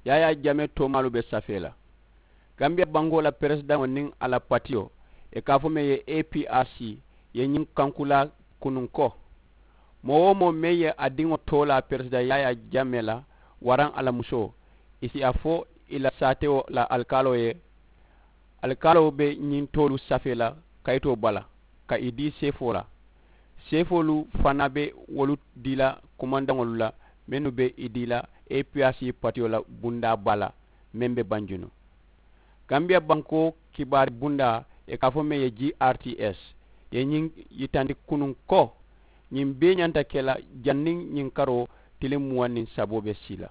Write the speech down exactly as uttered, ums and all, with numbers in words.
Yaayaa jamee toomaalu be safee la. Gambiya bankoo la peresidaŋo niŋ a la patiyo, ì ka a fo meŋ ye, a p r c, ye ñiŋ kankulaa kunuŋ ko, moo-wo-moo meŋ ye a diŋo toolaa peresidaŋ yaayaa jamee la waraŋ a la musoo, ì si a fo ì la saatewo la alikaaloo ye, alikaaloo be ñiŋ toolu safee la kayitoo bala ka ì dii seefoo la. Seefoolu fanaa be wolu dii la kumandaŋolu la mennu be ì dii la a p r c patiyo la bundaa baa la, meŋ be banjunu. Gambiya bankoo kibaari bundaa, ì ka a fo meŋ ye g r t s, ye ñiŋ yitandi kunuŋ ko, ñiŋ bee ñanta ke la janniŋ ñiŋ karoo tiliŋ muwaŋ niŋ saboo be sii la.